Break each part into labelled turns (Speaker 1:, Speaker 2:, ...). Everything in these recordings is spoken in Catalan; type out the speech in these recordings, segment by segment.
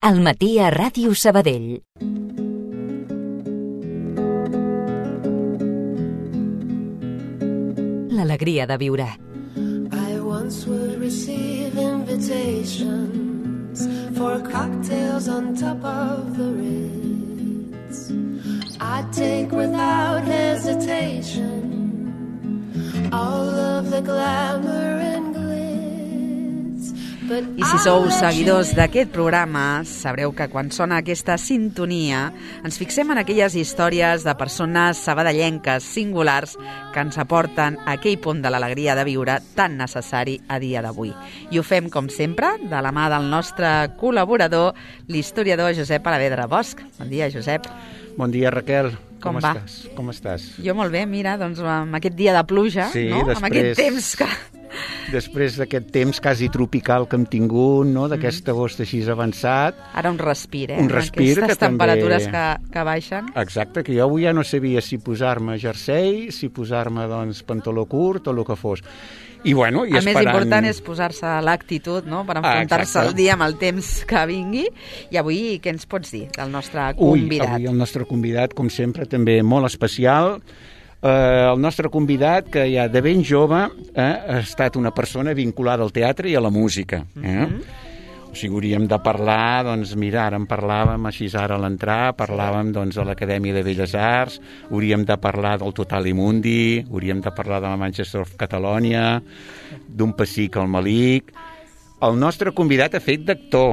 Speaker 1: Al matí a Ràdio Sabadell. L'alegria de viure.
Speaker 2: I once would receive invitations for cocktails on top of the Ritz. I'd take without hesitation all of the glamour and glitz.
Speaker 3: I si sou seguidors d'aquest programa, sabreu que quan sona aquesta sintonia ens fixem en aquelles històries de persones sabadellenques singulars que ens aporten aquell punt de l'alegria de viure tan necessari a dia d'avui. I ho fem, com sempre, de la mà del nostre col·laborador, l'historiador Josep Alavedra Bosch. Bon dia, Josep.
Speaker 4: Bon dia, Raquel.
Speaker 3: Com va?
Speaker 4: Com estàs?
Speaker 3: Jo molt bé, mira, doncs amb aquest dia de pluja,
Speaker 4: sí,
Speaker 3: no? Amb aquest temps que...
Speaker 4: Després d'aquest temps quasi tropical que hem tingut, no? D'aquest agost així avançat.
Speaker 3: Ara un respir,
Speaker 4: Un respir
Speaker 3: aquestes
Speaker 4: que
Speaker 3: temperatures
Speaker 4: també...
Speaker 3: que baixen.
Speaker 4: Exacte, que jo avui ja no sabia si posar-me jersei, si posar-me, doncs, pantaló curt o el que fos. I bueno, i
Speaker 3: el
Speaker 4: esperant...
Speaker 3: més important és posar-se l'actitud, no?, per enfrontar-se al dia amb el temps que vingui. I avui què ens pots dir del nostre convidat?
Speaker 4: Avui el nostre convidat, com sempre, també molt especial. El nostre convidat, que ja de ben jove ha estat una persona vinculada al teatre i a la música. O sigui, hauríem de parlar, doncs mira, ara en parlàvem així ara a l'entrar, parlàvem doncs de l'Acadèmia de Belles Arts, hauríem de parlar del Total Imundi, hauríem de parlar de la Manchester of Catalonia, d'un pessic al Malik. El nostre convidat ha fet d'actor,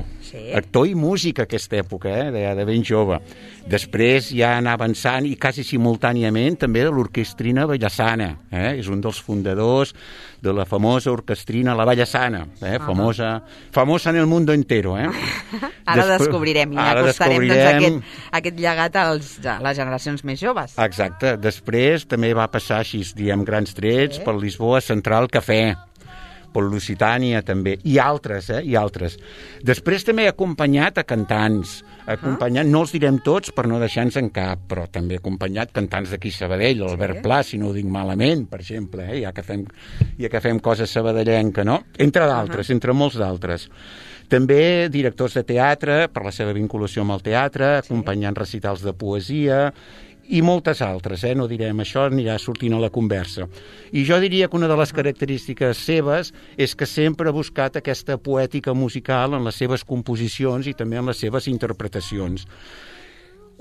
Speaker 4: actor i músic a aquesta època, de ben jove. Després ja anar avançant i quasi simultàniament també de l'orquestrina Vallassana. És un dels fundadors de la famosa orquestrina La Vallassana, famosa en el mundo entero.
Speaker 3: Ara descobrirem i acostarem aquest llegat a les generacions més joves.
Speaker 4: Exacte. Després també va passar així, diem grans trets, per Lisboa Central Cafè, per Lusitània també, i altres. Després també he acompanyat a cantants, no els direm tots per no deixar-nos en cap, però també he acompanyat cantants d'aquí Sabadell, l'Albert Pla, si no ho dic malament, per exemple, ja que fem coses sabadellenca, no? Entre d'altres, entre molts d'altres. També directors de teatre, per la seva vinculació amb el teatre, acompanyant recitals de poesia, i moltes altres, no direm, això anirà sortint a la conversa. I jo diria que una de les característiques seves és que sempre ha buscat aquesta poètica musical en les seves composicions i també en les seves interpretacions.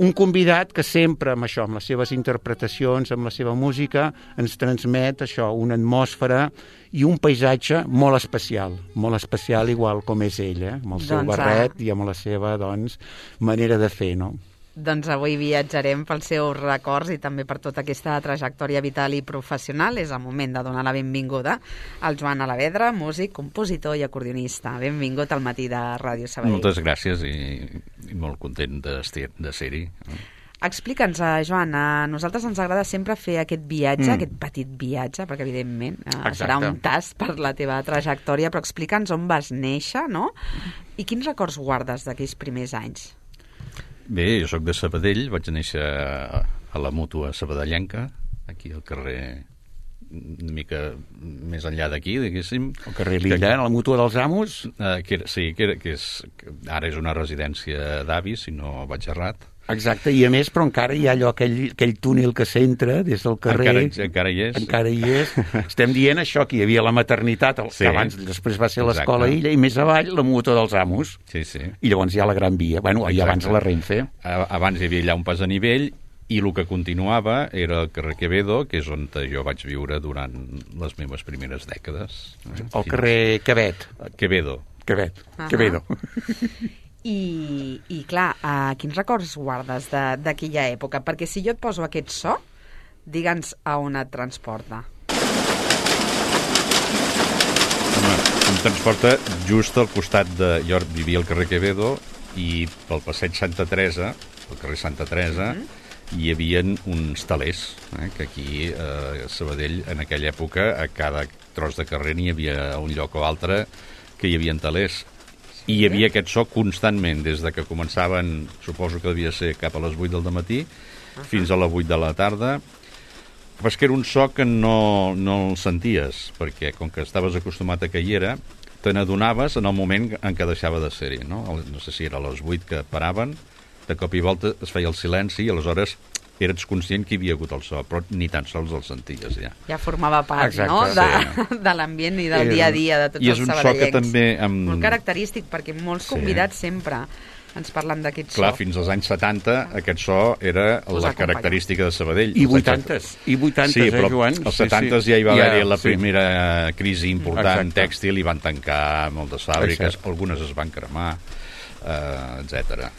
Speaker 4: Un convidat que sempre amb això, amb les seves interpretacions, amb la seva música, ens transmet això, una atmosfera i un paisatge molt especial igual com és ell, amb el seu barret i amb la seva, manera de fer, no?
Speaker 3: Doncs avui viatjarem pels seus records i també per tota aquesta trajectòria vital i professional. És el moment de donar la benvinguda al Joan Alavedra, músic, compositor i acordionista. Benvingut al matí de Ràdio Sabadell.
Speaker 5: Moltes gràcies i molt content de ser-hi.
Speaker 3: Explica'ns, Joan, a nosaltres ens agrada sempre fer aquest viatge, aquest petit viatge, perquè evidentment serà un tast per la teva trajectòria, però explica'ns on vas néixer, no? I quins records guardes d'aquells primers anys?
Speaker 5: Bé, jo soc de Sabadell, vaig néixer a la Mútua sabadellenca, aquí al carrer, una mica més enllà d'aquí, diguéssim.
Speaker 4: El carrer Lilla, a la Mútua dels Amos?
Speaker 5: Que ara és una residència d'avis, si no vaig errat.
Speaker 4: Exacte, i a més, però encara hi ha allò, aquell túnel que s'entra des del carrer.
Speaker 5: Encara hi és.
Speaker 4: Encara hi és. Estem dient això, que hi havia la maternitat, que després va ser l'escola Illa, i més avall la Mútua dels Amos.
Speaker 5: Sí.
Speaker 4: I llavors hi ha la Gran Via, i abans la Renfe.
Speaker 5: Abans hi havia allà un pas a nivell, i el que continuava era el carrer Quevedo, que és on jo vaig viure durant les meves primeres dècades.
Speaker 4: El carrer
Speaker 5: Quevedo.
Speaker 3: I clar, quins records guardes d'aquella època? Perquè si jo et poso aquest so, digue'ns a on et transporta.
Speaker 5: Home, em transporta just al costat de... Jo vivia al carrer Quevedo i pel passeig Santa Teresa, al carrer Santa Teresa, hi havia uns talers, que aquí a Sabadell, en aquella època, a cada tros de carrer n'hi havia un lloc o altre que hi havia talers. I hi havia aquest so constantment, des de que començaven, suposo que devia ser cap a les 8 del matí, fins a les 8 de la tarda. Però és que era un so que no el senties, perquè com que estaves acostumat a que hi era, te n'adonaves en el moment en què deixava de ser-hi, no? No sé si era a les 8 que paraven, de cop i volta es feia el silenci i aleshores eres conscient que hi havia hagut el so, però ni tan sols el senties, ja.
Speaker 3: Ja formava part,
Speaker 4: Exacte,
Speaker 3: no?, de l'ambient i del dia a dia de tots els sabadellencs.
Speaker 5: I és un so que també...
Speaker 3: Molt característic, perquè molts convidats sempre ens parlen d'aquest so.
Speaker 5: Clar, fins als anys 70 aquest so era la característica de Sabadell.
Speaker 4: I 80s,
Speaker 5: sí, però
Speaker 4: Joan?
Speaker 5: Als 70s ja hi va haver la primera crisi important tèxtil i van tancar moltes fàbriques, algunes es van cremar, etc.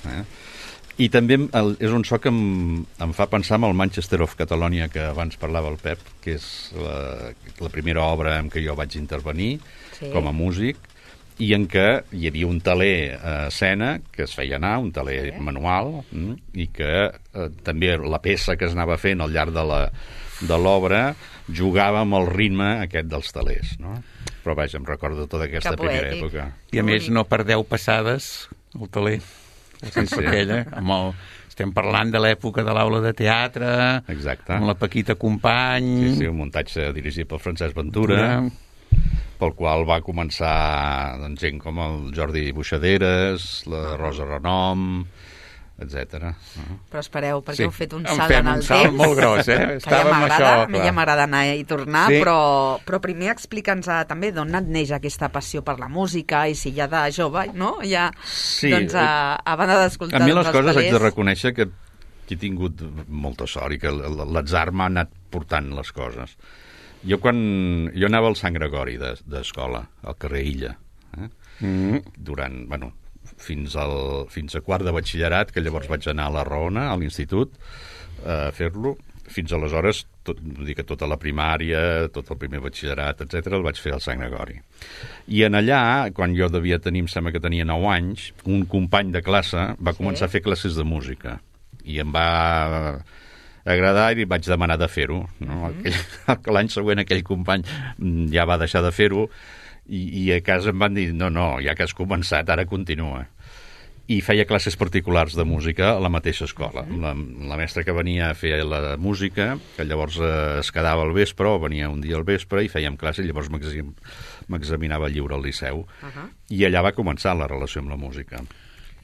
Speaker 5: I també és un so que em fa pensar en el Manchester of Catalonia, que abans parlava el Pep, que és la primera obra en què jo vaig intervenir com a músic, i en què hi havia un teler a escena que es feia anar, un teler manual, i que també la peça que es anava fent al llarg de l'obra jugava amb el ritme aquest dels telers, no? Però vaja, em recordo tota aquesta primera època.
Speaker 4: I a més, no per 10 passades, el teler, sense aquella, estem parlant de l'època de l'aula de teatre, amb la Paquita Company...
Speaker 5: Sí, un muntatge dirigit pel Francesc Ventura, pel qual va començar gent com el Jordi Buixaderes, la Rosa Renom, etc.
Speaker 3: Però espereu, perquè heu fet un salt en el temps.
Speaker 4: Un salt molt gros,
Speaker 3: Estàvem això, a mi ja m'agrada anar i tornar, però primer explica'ns també d'on et neix aquesta passió per la música i si ja de jove, no? Ja, doncs, a banda d'escoltar...
Speaker 5: A mi les coses haig de reconèixer que he tingut molta sort i que l'atzar m'ha anat portant les coses. Jo anava al Sant Gregori d'escola, al carrer Illa, durant, fins a quart de batxillerat, que llavors vaig anar a la Roona, a l'institut, a fer-lo. Fins aleshores, tota la primària, tot el primer batxillerat, etc., el vaig fer al Sant Gregori. I en allà, quan jo devia tenir, em sembla que tenia 9 anys, un company de classe va començar a fer classes de música. I em va agradar i vaig demanar de fer-ho. No? L'any següent aquell company ja va deixar de fer-ho i a casa em van dir no, ja que has començat, ara continua. I feia classes particulars de música a la mateixa escola. La mestra que venia a fer la música, que llavors es quedava al vespre, o venia un dia al vespre, i fèiem classe, i llavors m'examinava lliure al Liceu. I allà va començar la relació amb la música.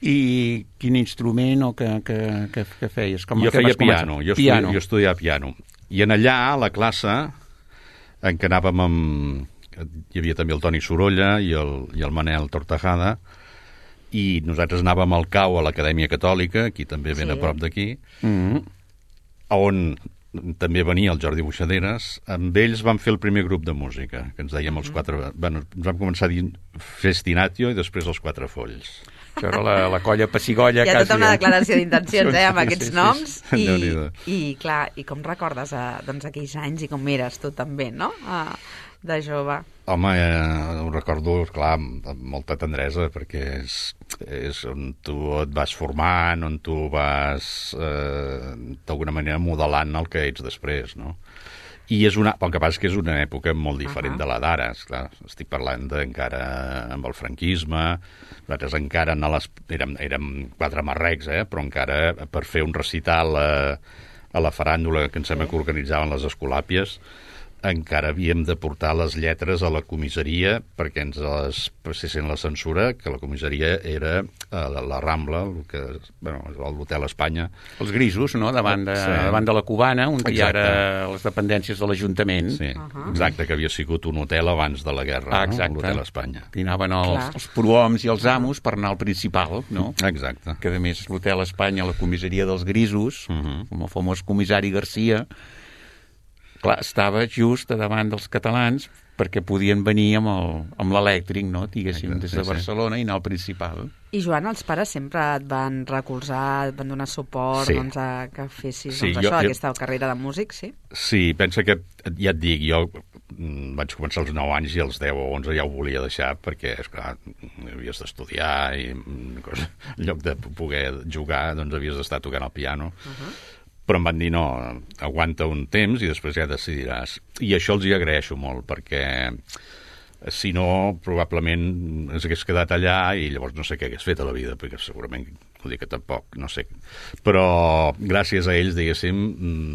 Speaker 4: I quin instrument o que feies?
Speaker 5: Jo feia piano, jo estudiava piano. I en allà, a la classe, en què anàvem hi havia també el Toni Sorolla i el Manel Tortajada, i nosaltres anàvem al CAU, a l'Acadèmia Catòlica, aquí també ben a prop d'aquí, on també venia el Jordi Buixaderes. Amb ells vam fer el primer grup de música, que ens dèiem els 4... Ens vam començar a dir Festinatio i després els 4 Folls.
Speaker 4: Això era la colla Pessigolla.
Speaker 3: Hi ha tota una declaració d'intencions, amb aquests noms. I clar, i com recordes aquells anys i com eres tu també, no?, de jove.
Speaker 5: Home, ho recordo, clar, amb molta tendresa, perquè és on tu et vas formant, on tu vas, d'alguna manera, modelant el que ets després, no? I el que passa és que és una època molt diferent de la d'ara. Estic parlant encara amb el franquisme, nosaltres encara érem 4 marrecs, però encara per fer un recital a la faràndula que em sembla que organitzaven les Escolàpies, encara havíem de portar les lletres a la comissaria perquè ens les passessin la censura, que la comissaria era la Rambla, l'Hotel Espanya.
Speaker 4: Els Grisos, no?, davant de la Cubana, on hi ha ara les dependències de l'Ajuntament.
Speaker 5: Sí, exacte, que havia sigut un hotel abans de la guerra, l'Hotel Espanya.
Speaker 4: Hi anaven els prohoms i els amos per anar al principal, no?
Speaker 5: Exacte.
Speaker 4: Que a més l'Hotel Espanya, la comissaria dels Grisos, com el famós comissari Garcia, clar, estava just davant dels catalans perquè podien venir amb l'elèctric, no?, diguéssim, des de Barcelona i anar al principal.
Speaker 3: I, Joan, els pares sempre et van recolzar, et van donar suport a que fessis aquesta carrera de músic, sí?
Speaker 5: Sí, pensa que, ja et dic, jo vaig començar als 9 anys i als 10 o 11 ja ho volia deixar perquè, esclar, havies d'estudiar i en lloc de poder jugar, doncs havies d'estar tocant el piano. Però em van dir, no, aguanta un temps i després ja decidiràs. I això els hi agraeixo molt, perquè si no, probablement ens hagués quedat allà i llavors no sé què hagués fet a la vida, perquè segurament, vull dir que tampoc, no sé. Però gràcies a ells, diguéssim,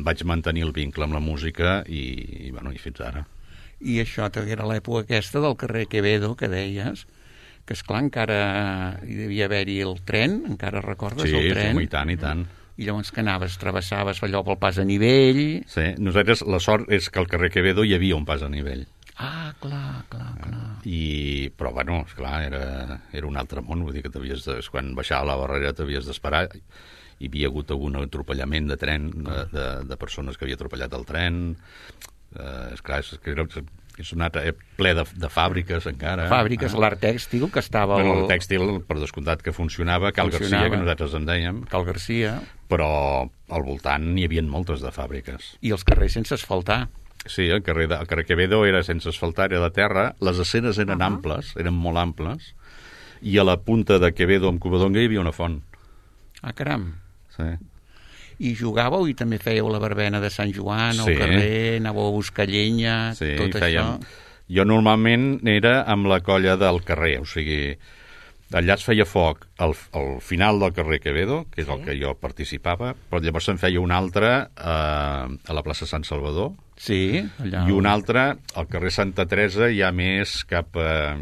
Speaker 5: vaig mantenir el vincle amb la música i fins ara.
Speaker 4: I això era l'època aquesta del carrer Quevedo, que deies, que esclar, encara hi devia haver-hi el tren, encara recordes el tren?
Speaker 5: Sí, i tant.
Speaker 4: I llavors que anaves, travessaves allò pel pas a nivell...
Speaker 5: Sí, nosaltres la sort és que al carrer Quevedo hi havia un pas a nivell.
Speaker 4: Ah, clar.
Speaker 5: Però, bueno, esclar, era un altre món, vull dir que quan baixava la barrera t'havies d'esperar. Hi havia hagut algun atropellament de tren, de persones que havia atropellat el tren. Esclar, és un altre ple de fàbriques encara.
Speaker 4: Fàbriques, l'art tèxtil, que estava...
Speaker 5: El tèxtil, per descomptat, que funcionava, Cal Garcia, que nosaltres en dèiem.
Speaker 4: Cal Garcia.
Speaker 5: Però al voltant n'hi havia moltes de fàbriques.
Speaker 4: I els carrers sense asfaltar.
Speaker 5: Sí, el carrer Quevedo era sense asfaltar, era de terra, les escenes eren amples, eren molt amples, i a la punta de Quevedo amb Covadonga hi havia una font.
Speaker 4: Ah, caram.
Speaker 5: Sí.
Speaker 4: I jugàveu i també fèieu la verbena de Sant Joan al carrer, anàveu a buscar llenya, tot això?
Speaker 5: Jo normalment era amb la colla del carrer, o sigui, allà es feia foc al final del carrer Quevedo, que és el que jo participava, però llavors se'n feia un altre a la plaça Sant Salvador,
Speaker 4: allà.
Speaker 5: I un altre al carrer Santa Teresa, ja més cap a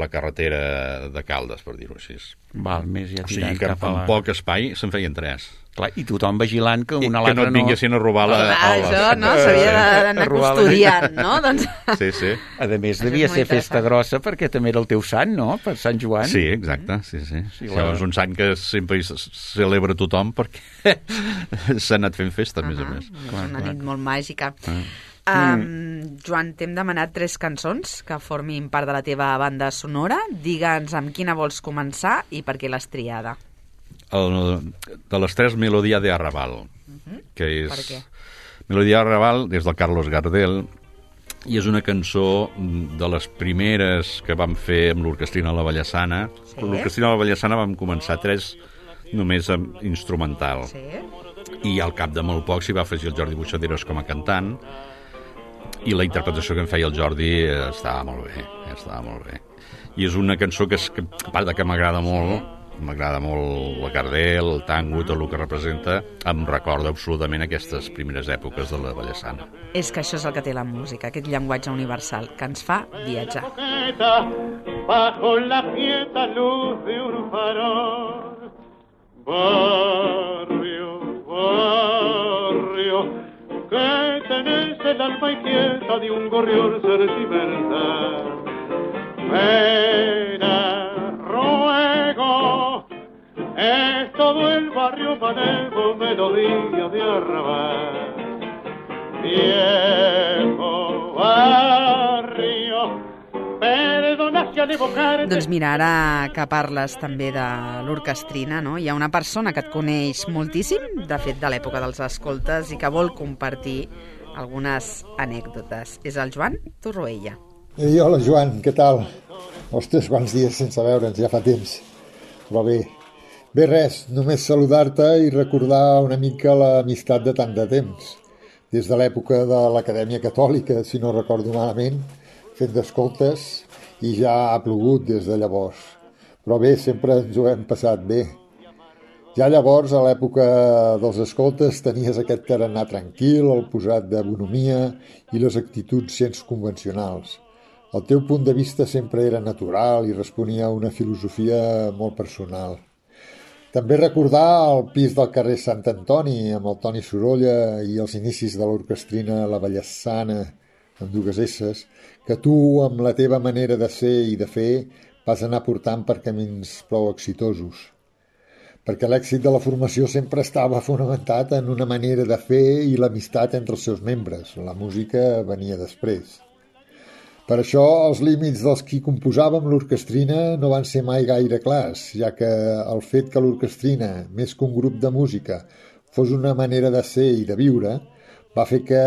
Speaker 5: la carretera de Caldes, per dir-ho així.
Speaker 4: Val, més ja
Speaker 5: o sigui que amb poc espai se'n feien 3.
Speaker 4: Clar, i tothom vigilant que una a l'altra
Speaker 5: no... Que no et vinguessin a robar
Speaker 1: això, no? S'havia d'anar custodiant, no? Doncs...
Speaker 5: Sí.
Speaker 4: A més, devia ser festa grossa perquè també era el teu sant, no? Per Sant Joan.
Speaker 5: Sí, exacte, sí. Això és un sant que sempre celebra tothom perquè s'ha anat fent festa, a més a més.
Speaker 1: És una nit molt màgica. Joan, t'hem demanat 3 cançons que formin part de la teva banda sonora. Digue'ns amb quina vols començar i per què l'has triada.
Speaker 5: De les 3, Melodia de Arrabal, que és...
Speaker 1: Per què?
Speaker 5: Melodia de Arrabal és del Carlos Gardel i és una cançó de les primeres que vam fer amb l'Orquestrina La Vallassana. L'Orquestrina La Vallassana vam començar 3 només amb instrumental. I al cap de molt poc s'hi va afegir el Jordi Buixaderos com a cantant i la interpretació que em feia el Jordi estava molt bé. I és una cançó que a part que m'agrada molt la Gardel, el tango, tot el que representa, em recorda absolutament aquestes primeres èpoques de la Vallassana.
Speaker 1: És que això és el que té la música, aquest llenguatge universal que ens fa viatjar.
Speaker 6: Bajo la quieta luz de un farol, barrio, que tenés el alma inquieta de un gorrión sentimental. Ruego, es todo el barrio manejo, melodía de arrabal. Viejo barrio, perdona si al evocarte...
Speaker 1: Doncs mira, ara que parles també de l'orquestrina, no? Hi ha una persona que et coneix moltíssim, de fet de l'època dels escoltes, i que vol compartir algunes anècdotes. És el Joan Torroella.
Speaker 7: Hola, Joan, què tal? Ostres, quants dies sense veure'ns, ja fa temps. Però bé, res, només saludar-te i recordar una mica l'amistat de tant de temps. Des de l'època de l'Acadèmia Catòlica, si no recordo malament, fent d'escoltes, i ja ha plogut des de llavors. Però bé, sempre ens ho hem passat bé. Ja llavors, a l'època dels escoltes, tenies aquest tarannà tranquil, el posat de bonomia i les actituds gens convencionals. El teu punt de vista sempre era natural i responia a una filosofia molt personal. També recordar el pis del carrer Sant Antoni amb el Toni Sorolla i els inicis de l'orquestrina La Vallassana, amb 2 esses, que tu, amb la teva manera de ser i de fer, vas anar portant per camins prou exitosos. Perquè l'èxit de la formació sempre estava fonamentat en una manera de fer i l'amistat entre els seus membres. La música venia després. Per això, els límits dels qui composàvem l'orquestrina no van ser mai gaire clars, ja que el fet que l'orquestrina, més que un grup de música, fos una manera de ser i de viure, va fer que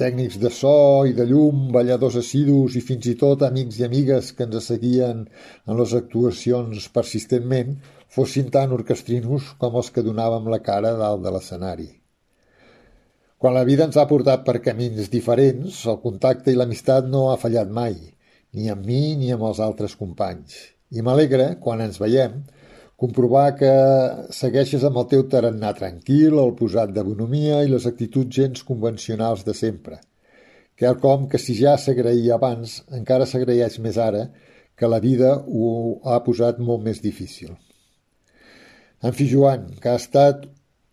Speaker 7: tècnics de so i de llum, balladors assidus i fins i tot amics i amigues que ens seguien en les actuacions persistentment fossin tan orquestrinos com els que donàvem la cara dalt de l'escenari. Quan la vida ens ha portat per camins diferents, el contacte i l'amistat no ha fallat mai, ni amb mi ni amb els altres companys. I m'alegra, quan ens veiem, comprovar que segueixes amb el teu tarannà tranquil, el posat de bonomia i les actituds gens convencionals de sempre. quelcom que si ja s'agraïa abans, encara s'agraeix més ara, que la vida ho ha posat molt més difícil. En fi, Joan, que ha estat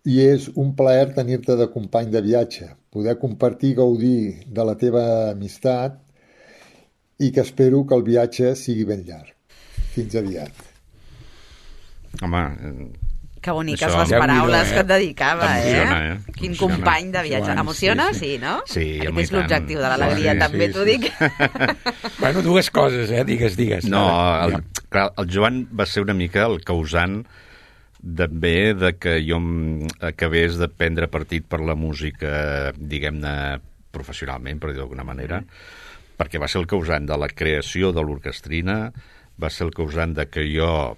Speaker 7: i és un plaer tenir-te de company de viatge, poder compartir i gaudir de la teva amistat i que espero que el viatge sigui ben llarg. Fins aviat.
Speaker 5: Home,
Speaker 1: que boniques
Speaker 5: això,
Speaker 1: les paraules que et dedicava,
Speaker 5: emociona,
Speaker 1: Quin
Speaker 5: emociona.
Speaker 1: company de viatge.
Speaker 4: Joan,
Speaker 1: Emociona?
Speaker 4: sí.
Speaker 1: Sí, no?
Speaker 5: Sí,
Speaker 1: Aquest
Speaker 5: home,
Speaker 1: és
Speaker 5: i tant.
Speaker 1: l'objectiu de l'alegria,
Speaker 4: Sí,
Speaker 1: també
Speaker 4: sí,
Speaker 1: t'ho
Speaker 4: sí.
Speaker 1: dic.
Speaker 4: Bueno, dues coses, digues.
Speaker 5: No,
Speaker 4: Ara.
Speaker 5: clar, el Joan va ser una mica el causant també de que jo acabés de prendre partit per la música, diguem-ne, professionalment, per dir d'alguna manera, perquè va ser el causant de la creació de l'orquestrina, va ser el causant de que jo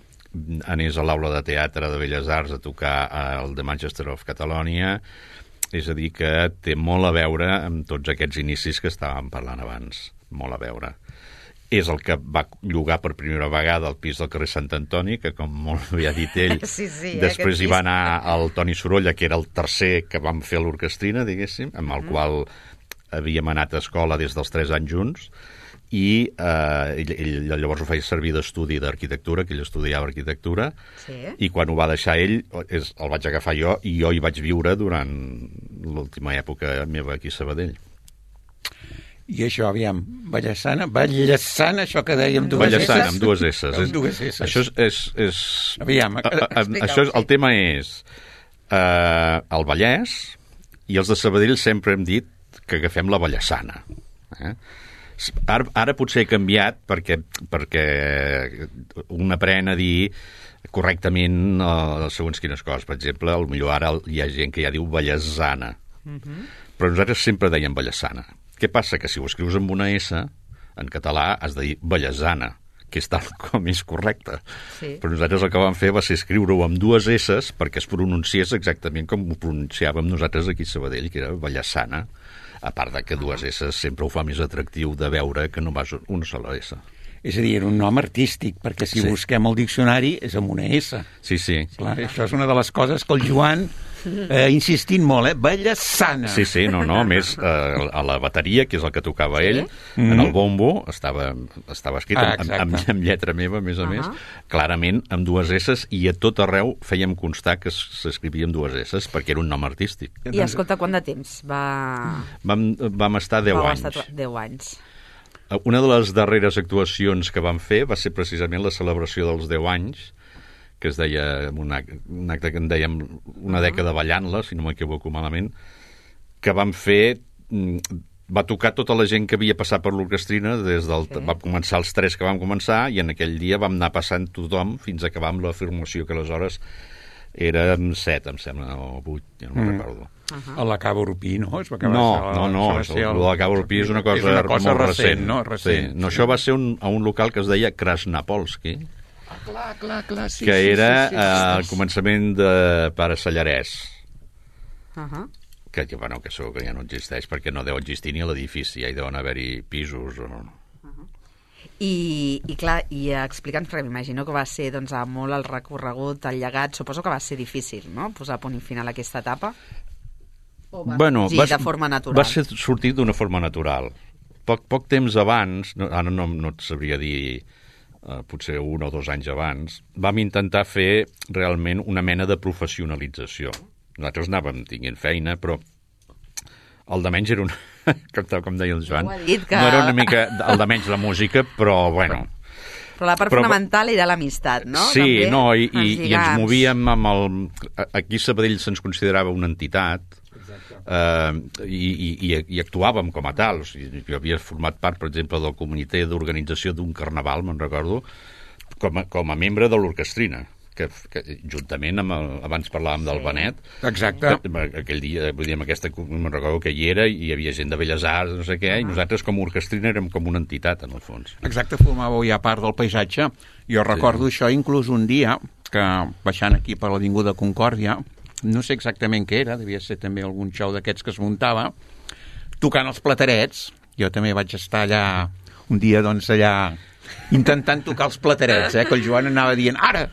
Speaker 5: anés a l'aula de teatre de Belles Arts a tocar al The Manchester of Catalonia, és a dir, que té molt a veure amb tots aquests inicis que estàvem parlant abans, molt a veure. És el que va llogar per primera vegada el pis del carrer Sant Antoni, que com molt bé ha dit ell,
Speaker 1: Sí,
Speaker 5: després
Speaker 1: aquest
Speaker 5: hi va
Speaker 1: pis.
Speaker 5: anar el Toni Sorolla, que era el tercer que vam fer a l'orquestrina, diguéssim, amb el qual havíem anat a escola des dels 3 anys junts, i ell llavors ho feia servir d'estudi d'arquitectura, que ell estudiava arquitectura,
Speaker 1: Sí.
Speaker 5: i quan ho va deixar ell el vaig agafar jo, i jo hi vaig viure durant l'última època meva aquí a Sabadell.
Speaker 4: I això, aviam, Vallesana, això que dèiem dues
Speaker 5: Vallesana,
Speaker 4: S's.
Speaker 5: amb dues S's.
Speaker 4: Amb dues S's.
Speaker 5: Això és...
Speaker 4: Aviam,
Speaker 5: això és, el tema és el Vallès, i els de Sabadell sempre hem dit que agafem la Vallesana. Ara potser he canviat perquè un aprèn a dir correctament segons quines coses. Per exemple, potser ara hi ha gent que ja diu Vallesana. Però nosaltres sempre dèiem Vallesana. Què passa? Que si ho escrius amb una S, en català has de dir Vallesana, que és tal com és correcte.
Speaker 1: Sí.
Speaker 5: Però nosaltres el que vam fer va ser escriure-ho amb dues S perquè es pronunciés exactament com ho pronunciàvem nosaltres aquí a Sabadell, que era Vallesana, a part de que dues S sempre ho fa més atractiu de veure que no vas una sola S.
Speaker 4: És a dir, era un nom artístic, perquè si
Speaker 5: Sí.
Speaker 4: busquem el diccionari és amb una S.
Speaker 5: Sí, sí.
Speaker 4: Clar, això és una de les coses que el Joan insistint molt, Vallesana.
Speaker 5: Sí, sí, no, a més, a la bateria, que és el que tocava ell, en el bombo, estava escrit amb lletra meva, a més, clarament, amb dues S's, i a tot arreu fèiem constar que s'escrivia amb dues S's, perquè era un nom artístic.
Speaker 1: I escolta, quant de temps va...
Speaker 5: Vam estar 10 anys.
Speaker 1: 10 anys.
Speaker 5: Una de les darreres actuacions que vam fer va ser precisament la celebració dels 10 anys, que es deia un acte que en dèiem una dècada ballant-la, si no m'equivoco malament, que vam fer... Va tocar tota la gent que havia passat per l'orquestrina, va començar els 3 que vam començar, i en aquell dia vam anar passant tothom fins a acabar amb la formació, que aleshores érem 7, em sembla, o 8, ja no me'n recordo.
Speaker 4: A la Cabo Urpí, no?
Speaker 5: No, la Cabo Urpí és una cosa molt recent.
Speaker 4: No?
Speaker 5: Sí. No, això va ser a un local que es deia Krasnapolski,
Speaker 4: Clar, sí.
Speaker 5: que era al començament de Pare Sallarès, que segur que ja no existeix, perquè no deu existir ni l'edifici, ja hi deuen haver-hi pisos o no.
Speaker 1: I clar, explica'ns, perquè m'imagino que va ser doncs, molt el recorregut, el llegat, suposo que va ser difícil, no?, posar a punt i final a aquesta etapa. O va sortir de forma natural?
Speaker 5: Va ser sortir d'una forma natural. Poc temps abans, ara no et sabria dir, potser 1 o 2 anys abans, vam intentar fer realment una mena de professionalització. Nosaltres anàvem tinguent feina, però el de menys era un... com deia el Joan, no era una mica el de menys la música, però bueno...
Speaker 1: Però la part fonamental era l'amistat, no?
Speaker 5: Sí,
Speaker 1: també,
Speaker 5: i ens movíem amb el... Aquí a Sabadell se'ns considerava una entitat, i actuàvem com a tal. O sigui, jo havia format part, per exemple, del comitè d'organització d'un carnaval, me'n recordo, com a membre de l'orquestrina, que juntament amb abans parlàvem del Benet.
Speaker 4: Exacte.
Speaker 5: Aquell dia, vull dir, amb aquesta, me'n recordo que hi era, i hi havia gent de Belles Arts, no sé què, i nosaltres com a orquestrina érem com una entitat, en el fons.
Speaker 4: Exacte, formàveu ja part del paisatge. Jo recordo això inclús un dia, que baixant aquí per l'Avinguda Concòrdia, no sé exactament què era, devia ser també algun show d'aquests que es muntava, tocant els platerets. Jo també vaig estar allà un dia, doncs, allà intentant tocar els platerets, que el Joan anava dient ara,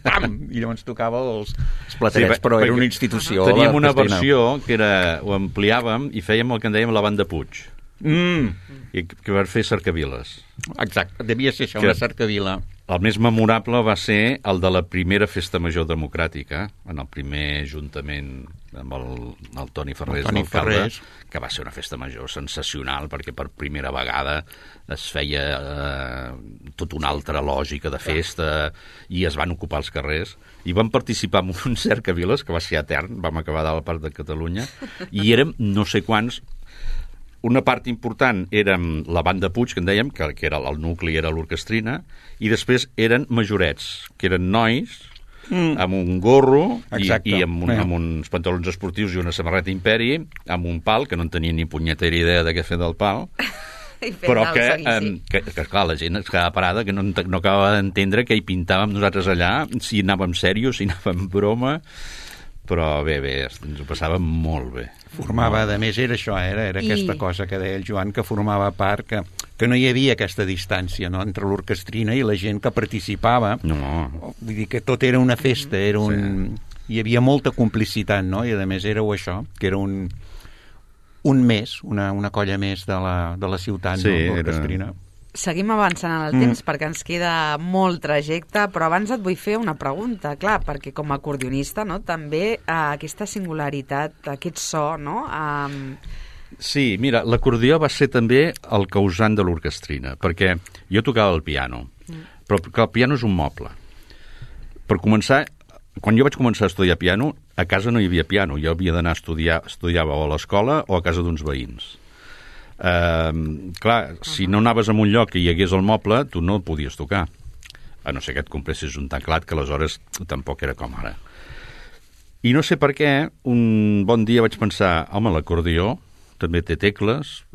Speaker 4: pam, i llavors tocava els platerets, però era una institució.
Speaker 5: Teníem una versió que era, ho ampliàvem i fèiem el que en dèiem la banda Puig. i que van fer cercaviles.
Speaker 4: Exacte, devia ser això, una cercavila.
Speaker 5: El més memorable va ser el de la primera festa major democràtica, en el primer ajuntament amb el Toni Ferrés, l'alcalde, que va ser una festa major sensacional, perquè per primera vegada es feia tota una altra lògica de festa i es van ocupar els carrers. I vam participar en un cercaviles, que va ser etern, vam acabar de la part de Catalunya, i érem no sé quants. Una part important era la banda Puig, que en dèiem, que era el nucli, era l'orquestrina, i després eren majorets, que eren nois, amb un gorro i amb uns pantalons esportius i una samarreta Imperi, amb un pal, que no en tenia ni punyetera idea de què fer del pal, però que clar, la gent es quedava parada, que no acabava d'entendre què hi pintàvem nosaltres allà, si anàvem serios, si anàvem broma. Però bé, ens ho passàvem molt bé.
Speaker 4: Formava, a més, era això, era aquesta cosa que deia el Joan, que formava part, que no hi havia aquesta distància, no?, entre l'orquestrina i la gent que participava.
Speaker 5: No.
Speaker 4: Vull dir que tot era una festa, era un... Hi havia molta complicitat, no?, i a més éreu això, que era un més, una colla més de la ciutat, no?, l'orquestrina.
Speaker 1: Seguim avançant en el temps perquè ens queda molt trajecte, però abans et vull fer una pregunta, clar, perquè com a acordionista, no, també aquesta singularitat, aquest so, no?
Speaker 5: Sí, mira, l'acordió va ser també el causant de l'orquestrina, perquè jo tocava el piano, però el piano és un moble. Per començar, quan jo vaig començar a estudiar piano, a casa no hi havia piano, jo havia d'anar a estudiar, estudiava o a l'escola o a casa d'uns veïns. Clar, si no anaves a un lloc que hi hagués el moble, tu no el podies tocar, a no ser que et compressis un teclat, que aleshores tampoc era com ara. I no sé per què, un bon dia vaig pensar, home, l'acordió també té tecles,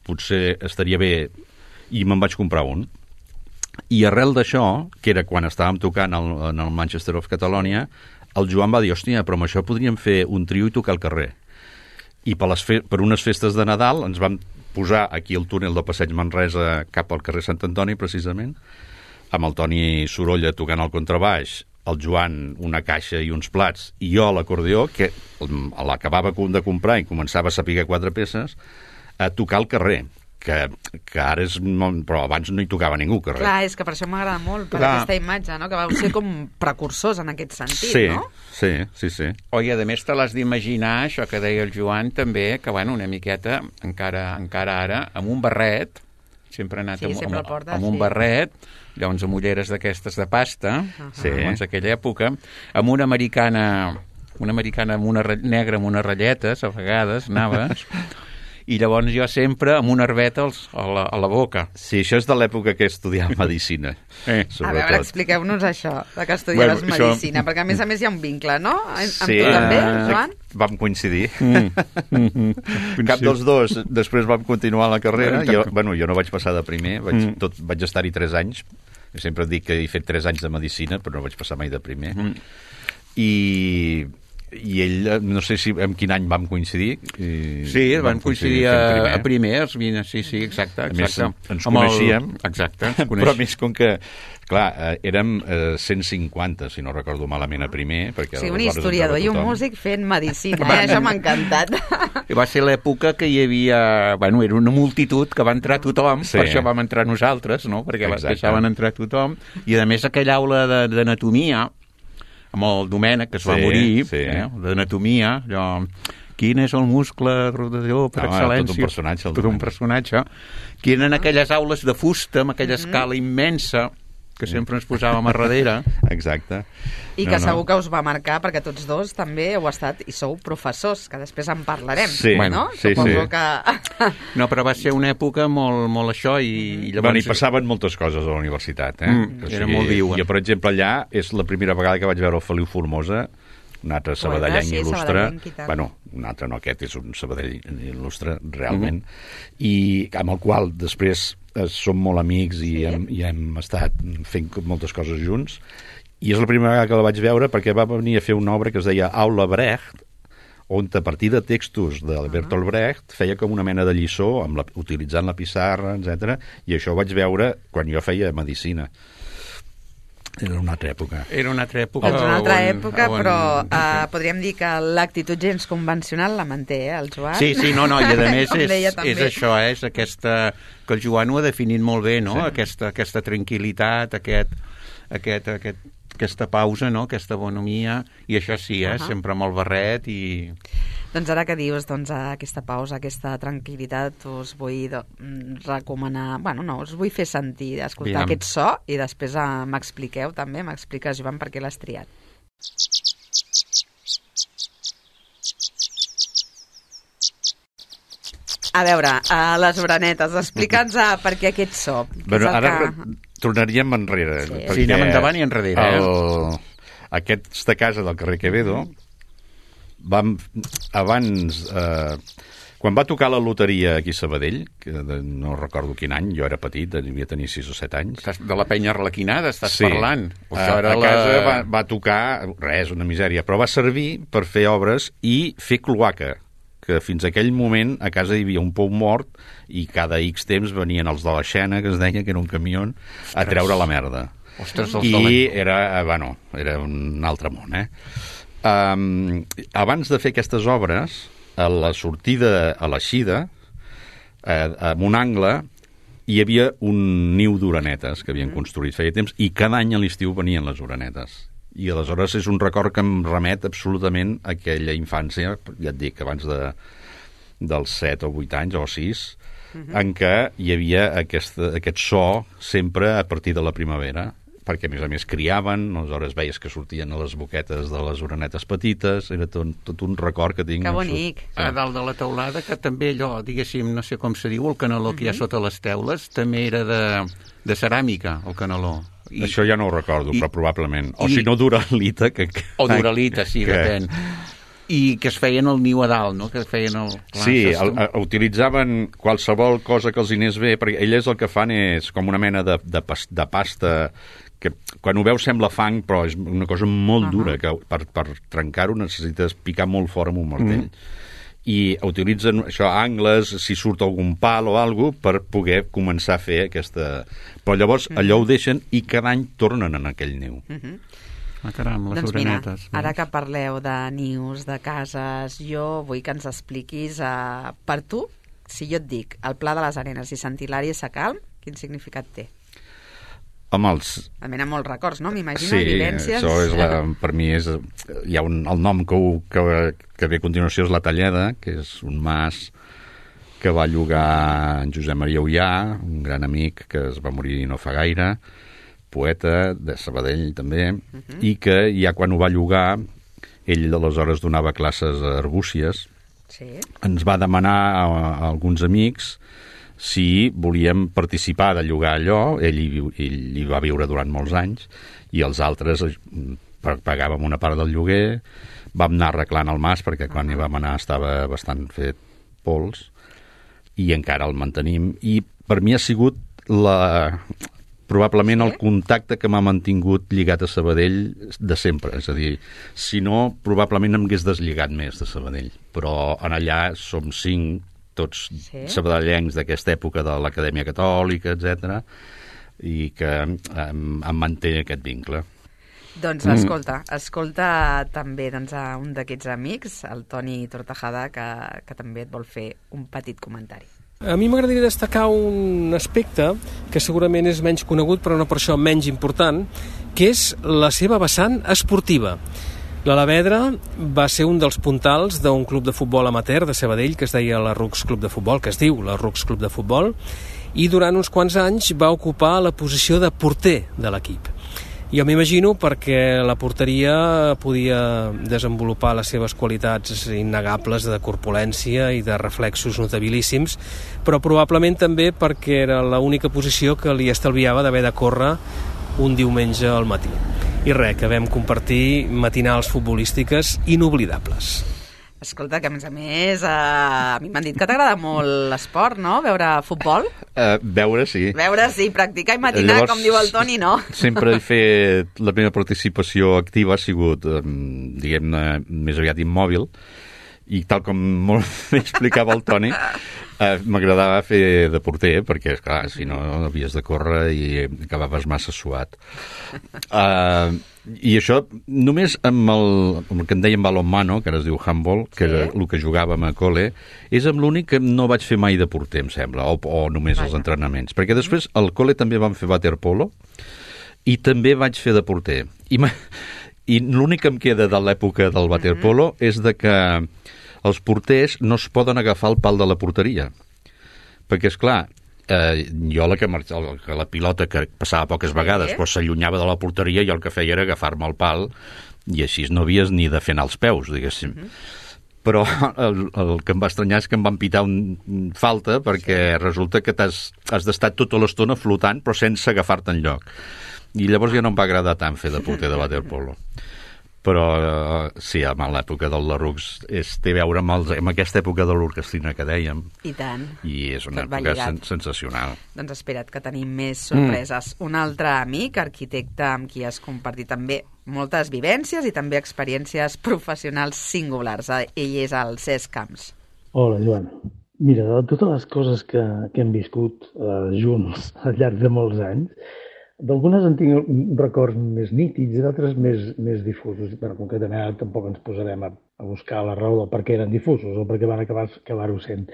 Speaker 5: potser estaria bé, i me'n vaig comprar un. I arrel d'això, que era quan estàvem tocant en el Manchester of Catalonia, el Joan va dir, hòstia, però amb això podríem fer un trio i tocar al carrer. I per unes festes de Nadal ens vam posar aquí el túnel del Passeig Manresa cap al carrer Sant Antoni, precisament, amb el Toni Sorolla tocant el contrabaix, el Joan una caixa i uns plats, i jo l'acordió, que l'acabava de comprar i començava a saber 4 peces, a tocar al carrer, que ara és... però abans no hi tocava ningú al carrer.
Speaker 1: Clar, és que per això m'agrada molt, per aquesta imatge, no?, que vau ser com precursors en aquest sentit, no?
Speaker 5: Sí.
Speaker 4: Oi, a més te l'has d'imaginar, això que deia el Joan també, que bueno, una miqueta, encara ara, amb un barret, sempre ha anat amb un barret, llavors amb ulleres d'aquestes de pasta, doncs aquella època, amb una americana amb una negra amb unes ratlletes, a vegades anaves... I llavors jo sempre amb una herbeta a la boca.
Speaker 5: Sí, això és de l'època que estudiava medicina.
Speaker 1: A veure, expliqueu-nos això, que estudiaves medicina, perquè a més hi ha un vincle, no? Amb tu també, Joan?
Speaker 5: Vam coincidir. Cap dels dos. Després vam continuar la carrera. Jo no vaig passar de primer, vaig estar-hi 3 anys. Jo sempre dic que he fet 3 anys de medicina, però no vaig passar mai de primer. I ell, no sé si en quin any vam coincidir.
Speaker 4: Sí, vam coincidir a primer, sí, exacte.
Speaker 5: A més, ens coneixíem.
Speaker 4: Exacte.
Speaker 5: Però a més, com que, clar, érem 150, si no recordo malament, a primer.
Speaker 1: Sí, un historiador i un músic fent medicina, això m'ha encantat.
Speaker 4: Va ser l'època que hi havia... Bueno, era una multitud que va entrar tothom, per això vam entrar nosaltres, no?, perquè deixaven entrar tothom. I, a més, aquella aula d'anatomia, amb el Domènec, que es va morir, d'anatomia, allò, quin és el muscle rodador per excel·lència? Tot un personatge. Que eren aquelles aules de fusta, amb aquella escala immensa, que sempre ens posàvem a darrere.
Speaker 5: Exacte.
Speaker 1: I que segur que us va marcar, perquè tots dos també heu estat i sou professors, que després en parlarem.
Speaker 5: Sí,
Speaker 1: no? Suposo que...
Speaker 4: No, però va ser una època molt això i llavors...
Speaker 5: Bueno, hi passaven moltes coses a la universitat,
Speaker 4: Era molt viu.
Speaker 5: Jo, per exemple, allà és la primera vegada que vaig veure el Feliu Formosa, un altre sabadellenc il·lustre. Bueno, un altre no, aquest és un sabadell il·lustre, realment. I amb el qual després som molt amics i hem estat fent moltes coses junts. I és la primera vegada que la vaig veure perquè va venir a fer una obra que es deia Aula Brecht, on a partir de textos de Bertolt Brecht feia com una mena de lliçó utilitzant la pissarra, etc. I això ho vaig veure quan jo feia medicina. Era una altra època.
Speaker 4: Era una altra època.
Speaker 1: És una altra època, però podríem dir que l'actitud gens convencional la manté, el Joan?
Speaker 4: Sí, i a més
Speaker 1: és
Speaker 4: això, és aquesta... que el Joan ho ha definit molt bé, no? Sí. Aquesta tranquil·litat, aquesta pausa, no? Aquesta bonomia, i això sí, sempre amb el barret i...
Speaker 1: Doncs ara que dius aquesta pausa, aquesta tranquil·litat, us vull recomanar... us vull fer sentir, escoltar aquest so i després m'expliqueu també, m'expliques, Joan, per què l'has triat. A veure, les orenetes, explica'ns per què aquest so.
Speaker 5: Ara tornaríem enrere.
Speaker 4: Sí, anem endavant i enrere.
Speaker 5: Aquesta casa del carrer Quevedo, abans, quan va tocar la loteria aquí a Sabadell, que no recordo quin any, jo era petit, devia tenir 6 o 7 anys.
Speaker 4: De la penya Arlequinada estàs parlant.
Speaker 5: A casa va tocar, res, una misèria, però va servir per fer obres i fer cloaca, que fins aquell moment a casa hi havia un pou mort i cada X temps venien els de la Xena, que es deia que era un camió, a treure la merda.
Speaker 4: Ostres,
Speaker 5: i era un altre món, abans de fer aquestes obres, a la sortida a l'eixida, en un angle, hi havia un niu d'orenetes que havien construït feia temps, i cada any a l'estiu venien les orenetes. I aleshores és un record que em remet absolutament a aquella infància, ja et dic, abans dels 7 o 8 anys o 6, en què hi havia aquest so sempre a partir de la primavera, perquè a més criaven, aleshores veies que sortien a les boquetes de les orenetes petites, era tot un record que tinc.
Speaker 1: Que bonic.
Speaker 4: A dalt de la teulada, que també allò, diguéssim, no sé com se diu, el canaló que hi ha sota les teules, també era de ceràmica, el canaló.
Speaker 5: Això ja no ho recordo, però probablement. O si no, d'uralita.
Speaker 4: O d'uralita, sí, depèn. I que es feien el niu a dalt, no? Que feien
Speaker 5: utilitzaven qualsevol cosa que els hi anés bé, perquè elles el que fan és com una mena de pasta que quan ho veus sembla fang, però és una cosa molt dura, que per trencar-ho necessites picar molt fort amb un martell. I utilitzen això, angles, si surt algun pal o alguna cosa, per poder començar a fer aquesta... Però llavors allò ho deixen i cada any tornen en aquell niu.
Speaker 4: Caram, les orenetes.
Speaker 1: Mira, ara que parleu de nius, de cases, jo vull que ens expliquis per tu, si jo et dic el Pla de les Arenes i Sant Hilari Sacalm, quin significat té? Almenys molts records, no? M'imagino, vivències...
Speaker 5: Sí, això per mi és... Hi ha el nom que ve a continuació és La Talleda, que és un mas que va llogar en Josep Maria Ullà, un gran amic que es va morir no fa gaire, poeta de Sabadell també, i que ja quan ho va llogar, ell aleshores donava classes a Arbúcies, ens va demanar a alguns amics si volíem participar de llogar allò. Ell hi va viure durant molts anys, i els altres pagàvem una part del lloguer, vam anar arreglant el mas, perquè quan hi vam anar estava bastant fet pols, i encara el mantenim, i per mi ha sigut probablement el contacte que m'ha mantingut lligat a Sabadell de sempre. És a dir, si no, probablement em hagués deslligat més de Sabadell. Però en allà som 5, tots sabadellencs d'aquesta època de l'Acadèmia Catòlica, etc., i que em manté aquest vincle.
Speaker 1: Doncs escolta també un d'aquests amics, el Toni Tortajada, que també et vol fer un petit comentari.
Speaker 8: A mi m'agradaria destacar un aspecte que segurament és menys conegut, però no per això menys important, que és la seva vessant esportiva. L'Alavedra va ser un dels puntals d'un club de futbol amateur de Sabadell que es deia la Rucs Club de Futbol, que es diu la Rucs Club de Futbol, i durant uns quants anys va ocupar la posició de porter de l'equip. Jo m'imagino perquè la porteria podia desenvolupar les seves qualitats innegables de corpulència i de reflexos notabilíssims, però probablement també perquè era l'única posició que li estalviava d'haver de córrer un diumenge al matí. I res, que vam compartir matinals futbolístiques inoblidables.
Speaker 1: Escolta, que a més a mi m'han dit que t'agrada molt l'esport, no? Veure futbol?
Speaker 5: Veure, sí.
Speaker 1: Veure, sí, practicar i matinar, llavors, com diu el Toni, no?
Speaker 5: Sempre he fet... La meva participació activa ha sigut, diguem-ne, més aviat immòbil, I tal com molt bé explicava el Toni, m'agradava fer de porter, perquè, esclar, si no havies de córrer i acabaves massa suat. I això, només amb el que en dèiem balonmano, que ara es diu handball, que era el que jugàvem a col·le, és amb l'únic que no vaig fer mai de porter, em sembla, o només els entrenaments. Perquè després al col·le també vam fer waterpolo i també vaig fer de porter. I l'únic que em queda de l'època del waterpolo és de que els porters no es poden agafar el pal de la porteria. Perquè, esclar, jo la pilota que passava poques vegades però s'allunyava de la porteria, jo el que feia era agafar-me el pal i així no havies ni de fer anar els peus, diguéssim. Però el que em va estranyar és que em van pitar falta perquè resulta que has d'estar tota l'estona flotant però sense agafar-te enlloc. I llavors ja no em va agradar tant fer de porter de waterpolo. Però sí, amb l'època del Larux té a veure amb aquesta època de l'orquestrina que dèiem.
Speaker 1: I tant.
Speaker 5: I és una època sensacional.
Speaker 1: Doncs espera't que tenim més sorpreses. Un altre amic, arquitecte, amb qui has compartit també moltes vivències i també experiències professionals singulars. Ell és el Cesc Camps.
Speaker 9: Hola, Joan. Mira, de totes les coses que hem viscut junts al llarg de molts anys, d'algunes en tinc records més nítids i d'altres més difusos. Però concretament tampoc ens posarem a buscar la raó del per què eren difusos o per què van acabar-ho sent.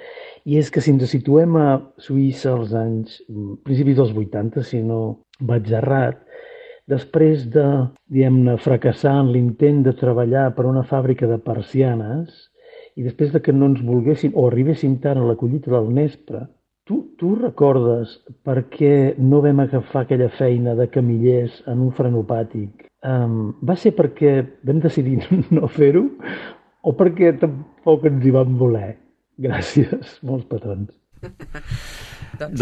Speaker 9: I és que si ens situem a Suïssa als anys principis dels 80, si no vaig errat, després de, diguem-ne, fracassar en l'intent de treballar per una fàbrica de persianes i després de que no ens volguessin o arribéssim tard a la collita del nespre, Tu recordes per què no vam agafar aquella feina de camillers en un frenopàtic? Va ser perquè vam decidir no fer-ho o perquè tampoc ens hi vam voler? Gràcies, molts petons.
Speaker 1: Doncs,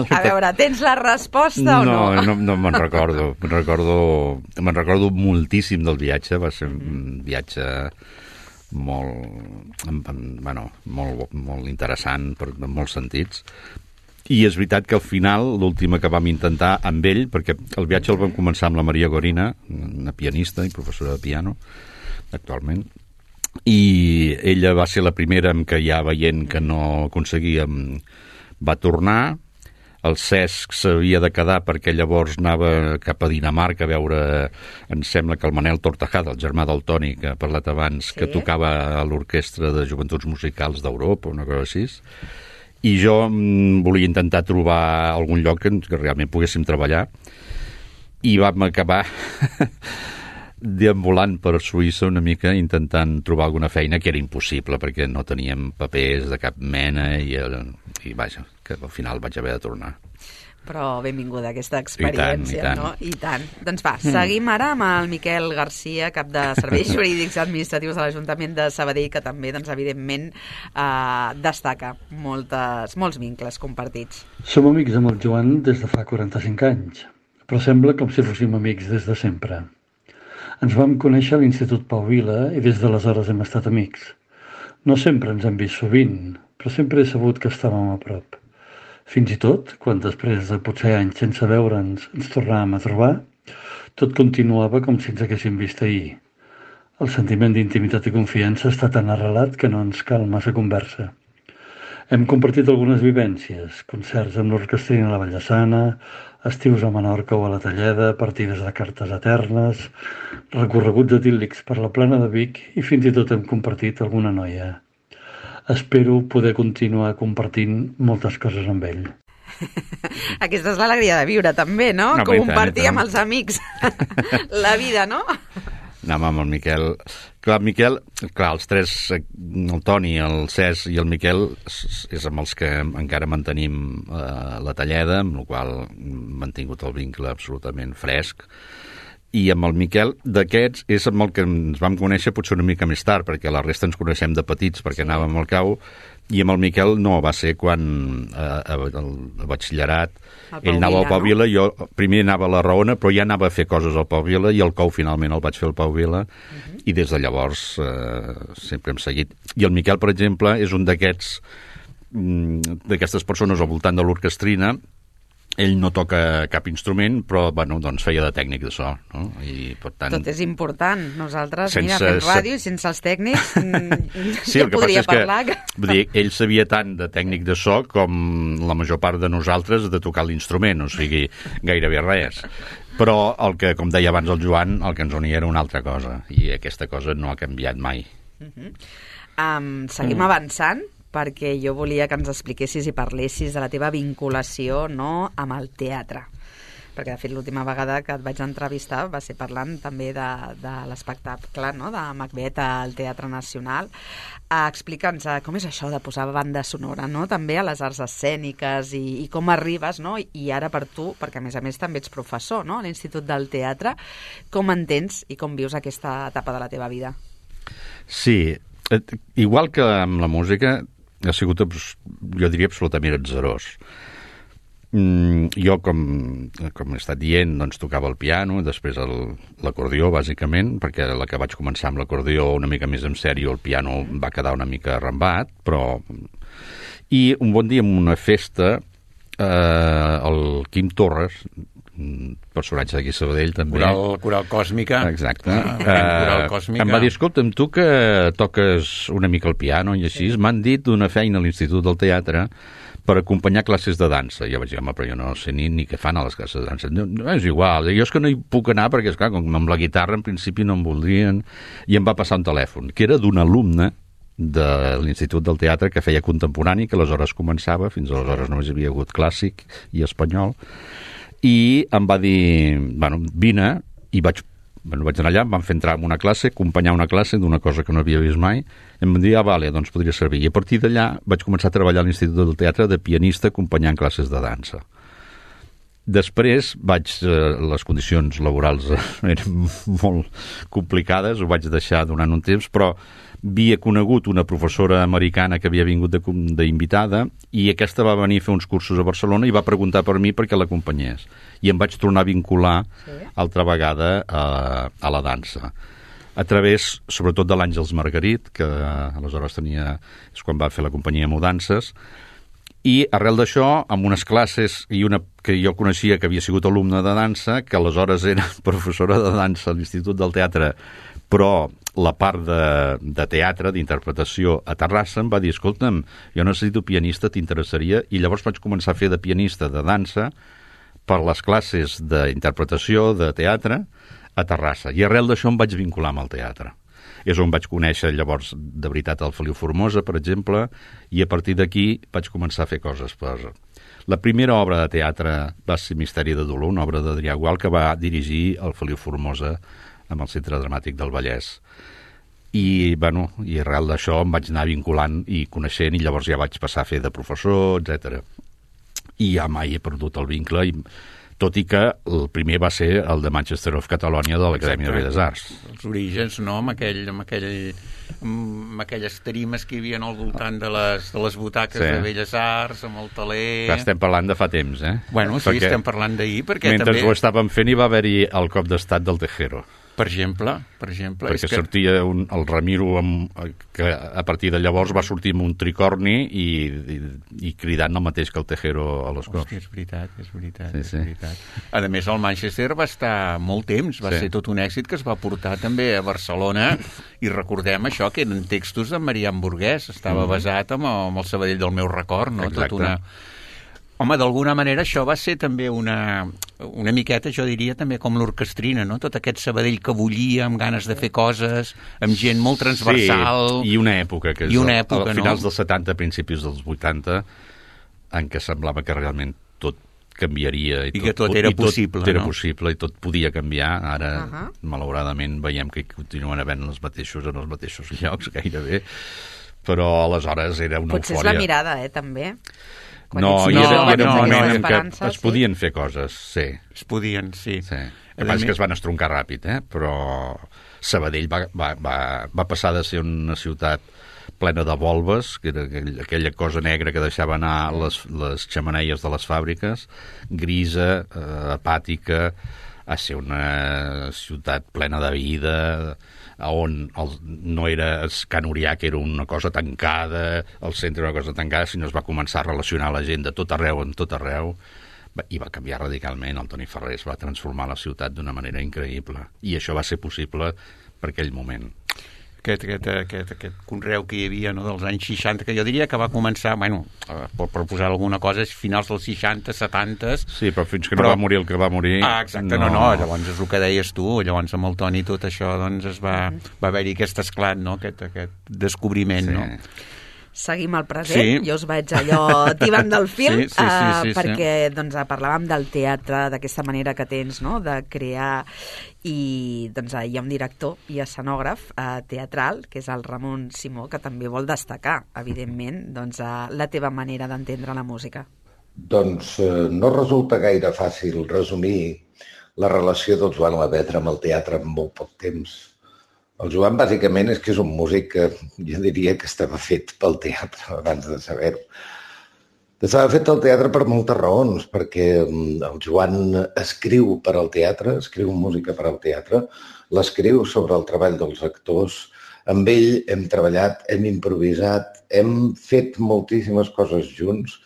Speaker 1: a veure, tens la resposta o no?
Speaker 5: No me'n recordo. Me'n recordo moltíssim del viatge. Va ser un viatge molt interessant en molts sentits. I és veritat que al final, l'última que vam intentar amb ell, perquè el viatge el vam començar amb la Maria Gorina, una pianista i professora de piano, actualment, i ella va ser la primera en què ja veient que no aconseguíem va tornar. El Cesc s'havia de quedar perquè llavors anava cap a Dinamarca a veure, em sembla que el Manel Tortajada, el germà del Toni, que ha parlat abans, que tocava a l'Orquestra de Joventuts Musicals d'Europa, una cosa així. I jo volia intentar trobar algun lloc que realment poguéssim treballar. I vam acabar deambulant per Suïssa una mica intentant trobar alguna feina que era impossible perquè no teníem papers de cap mena i vaja, que al final vaig haver de tornar.
Speaker 1: Però benvinguda aquesta experiència, no? I tant. Doncs va, seguim ara amb el Miquel Garcia, cap de Serveis Jurídics Administratius de l'Ajuntament de Sabadell, que també, doncs, evidentment, destaca molts vincles compartits.
Speaker 10: Som amics amb el Joan des de fa 45 anys, però sembla com si fóssim amics des de sempre. Ens vam conèixer a l'Institut Pau Vila i des d'aleshores hem estat amics. No sempre ens hem vist sovint, però sempre he sabut que estàvem a prop. Fins i tot, quan després de potser anys sense veure'ns ens tornàvem a trobar, tot continuava com si ens haguéssim vist ahir. El sentiment d'intimitat i confiança està tan arrelat que no ens cal massa conversa. Hem compartit algunes vivències, concerts amb l'Orquestrina a la Vallesana, estius a Menorca o a la Talleda, partides de cartes eternes, recorreguts idíl·lics per la Plana de Vic i fins i tot hem compartit alguna noia. Espero poder continuar compartint moltes coses amb ell.
Speaker 1: Aquesta és l'alegria de viure, també, no? Compartir amb els amics la vida, no?
Speaker 5: Anàvem amb el Miquel. Clar, els tres, el Toni, el Cesc i el Miquel, és amb els que encara mantenim la Talleda, amb la qual hem mantingut el vincle absolutament fresc. I amb el Miquel, d'aquests, és amb el que ens vam conèixer potser una mica més tard, perquè la resta ens coneixem de petits, perquè anàvem al cau, i amb el Miquel no, va ser quan el batxillerat, ell anava al Pau Vila, jo primer anava a la Raona, però ja anava a fer coses al Pau Vila, i el cou finalment el vaig fer al Pau Vila, i des de llavors sempre hem seguit. I el Miquel, per exemple, és un d'aquestes persones al voltant de l'orquestrina ell no toca cap instrument, però bueno, doncs feia de tècnic de so, no? I, per tant,
Speaker 1: tot és important. Nosaltres,
Speaker 5: sense,
Speaker 1: mira, fem ràdio i sense els tècnics
Speaker 5: sí,
Speaker 1: ja podria parlar.
Speaker 5: Vull dir, ell sabia tant de tècnic de so com la major part de nosaltres de tocar l'instrument, o sigui, gairebé res. Però el que, com deia abans el Joan, el que ens unia era una altra cosa, i aquesta cosa no ha canviat mai.
Speaker 1: Seguim avançant, perquè jo volia que ens expliquessis i parlessis de la teva vinculació, no, amb el teatre. Perquè, de fet, l'última vegada que et vaig entrevistar va ser parlant també de l'espectacle, no?, de Macbeth al Teatre Nacional. Explica'ns com és això de posar banda sonora, no?, també a les arts escèniques i com arribes, no?, i ara per tu, perquè a més també ets professor, no?, a l'Institut del Teatre, com entens i com vius aquesta etapa de la teva vida?
Speaker 5: Sí, igual que amb la música, ha sigut, jo diria, absolutament atzarós. Jo, com he estat dient, doncs tocava el piano, després l'acordió, bàsicament, perquè la que vaig començar amb l'acordió una mica més en sèrio, el piano va quedar una mica arrambat, però... I un bon dia, en una festa, el Quim Torres, personatge d'aquí a Sabadell, també.
Speaker 4: Coral Còsmica.
Speaker 5: Exacte.
Speaker 4: Coral Còsmica.
Speaker 5: Em va dir, escolta'm, tu que toques una mica el piano i així, m'han dit d'una feina a l'Institut del Teatre per acompanyar classes de dansa. I jo vaig dir, home, però jo no sé ni què fan a les classes de dansa. No, és igual, jo és que no hi puc anar perquè, esclar, com amb la guitarra en principi no em voldrien. I em va passar un telèfon, que era d'un alumne de l'Institut del Teatre que feia contemporani, que aleshores començava, fins aleshores només hi havia hagut clàssic i espanyol, i em va dir, bueno, vine, i vaig anar allà, em van fer entrar en una classe, acompanyar una classe d'una cosa que no havia vist mai, i em van dir, vale, doncs podria servir. I a partir d'allà vaig començar a treballar a l'Institut del Teatre de pianista acompanyant classes de dansa. Després les condicions laborals eren molt complicades, ho vaig deixar durant un temps, però havia conegut una professora americana que havia vingut d'invitada i aquesta va venir a fer uns cursos a Barcelona i va preguntar per mi perquè l'acompanyés. I em vaig tornar a vincular altra vegada a la dansa. A través, sobretot, de l'Àngels Margarit, que aleshores és quan va fer la companyia Mudances, i arrel d'això, amb unes classes i una que jo coneixia que havia sigut alumne de dansa, que aleshores era professora de dansa a l'Institut del Teatre, però la part de teatre, d'interpretació a Terrassa, em va dir, escolta'm, jo necessito pianista, t'interessaria? I llavors vaig començar a fer de pianista de dansa per les classes d'interpretació de teatre a Terrassa. I arrel d'això em vaig vincular amb el teatre. És on vaig conèixer llavors de veritat el Feliu Formosa, per exemple, i a partir d'aquí vaig començar a fer coses. La primera obra de teatre va ser Misteri de Dolor, una obra d'Adrià Gual que va dirigir el Feliu Formosa amb el Centre Dramàtic del Vallès. I arrel d'això em vaig anar vinculant i coneixent, i llavors ja vaig passar a fer de professor, etc. I ja mai he perdut el vincle, tot i que el primer va ser el de Manchester of Catalonia de l'Acadèmia de Belles Arts.
Speaker 4: Els orígens, no?, amb aquelles tarimes que hi havia al voltant de les butaques de Belles Arts, amb el taler...
Speaker 5: Que estem parlant de fa temps, eh?
Speaker 4: Bueno, sí, estem parlant d'ahir, perquè
Speaker 5: mentre ho estàvem fent hi va haver-hi el cop d'estat del Tejero.
Speaker 4: Per exemple.
Speaker 5: Perquè sortia el Ramiro, que a partir de llavors va sortir amb un tricorni i cridant el mateix que el Tejero a les cors.
Speaker 4: Hòstia, és veritat. A més, el Manchester va estar molt temps, va ser tot un èxit que es va portar també a Barcelona, i recordem això, que eren textos de Marian Burguès, estava basat amb el Sabadell del meu record, no?
Speaker 5: Exacte.
Speaker 4: Home, d'alguna manera això va ser també una miqueta, jo diria, també com l'orquestrina, no? Tot aquest Sabadell que bullia, amb ganes de fer coses, amb gent molt transversal...
Speaker 5: Sí, i una època, que és a finals dels 70, principis dels 80, en què semblava que realment tot canviaria.
Speaker 4: I que tot era possible,
Speaker 5: no? Era possible i tot podia canviar. Ara, malauradament, veiem que continuen havent els mateixos en els mateixos llocs, gairebé. Però aleshores era una eufòria.
Speaker 1: Potser és la mirada, també.
Speaker 5: No, es podien fer coses, sí.
Speaker 4: Es podien, sí.
Speaker 5: El que passa és que es van estroncar ràpid, però Sabadell va passar de ser una ciutat plena de volves, que era aquella cosa negra que deixava anar les xemeneies de les fàbriques, grisa, apàtica, a ser una ciutat plena de vida, on no era Can Urià, que era una cosa tancada, el centre era una cosa tancada, sinó es va començar a relacionar la gent de tot arreu, I va canviar radicalment. El Toni Ferrés va transformar la ciutat d'una manera increïble. I això va ser possible per aquell moment.
Speaker 4: Aquest conreu que hi havia, no, dels anys 60, que jo diria que va començar, per posar alguna cosa, finals dels 60, 70...
Speaker 5: Sí, però fins que no va morir el que va morir...
Speaker 4: Exacte, no, llavors és el que deies tu, llavors amb el Toni tot això, doncs va haver-hi aquest esclat, no?, aquest descobriment, sí. No?
Speaker 1: Seguim al present, jo us vaig allò tibant del fil, perquè doncs, parlàvem del teatre, d'aquesta manera que tens, no?, de crear, i doncs, hi ha un director i escenògraf teatral, que és el Ramon Simó, que també vol destacar, evidentment, doncs, la teva manera d'entendre la música.
Speaker 11: Doncs no resulta gaire fàcil resumir la relació del Joan Lavedra amb el teatre en molt poc temps. El Joan, bàsicament, és que és un músic que jo diria que estava fet pel teatre, abans de saber-ho. Estava fet al teatre per moltes raons, perquè el Joan escriu per al teatre, escriu música per al teatre, l'escriu sobre el treball dels actors. Amb ell hem treballat, hem improvisat, hem fet moltíssimes coses junts,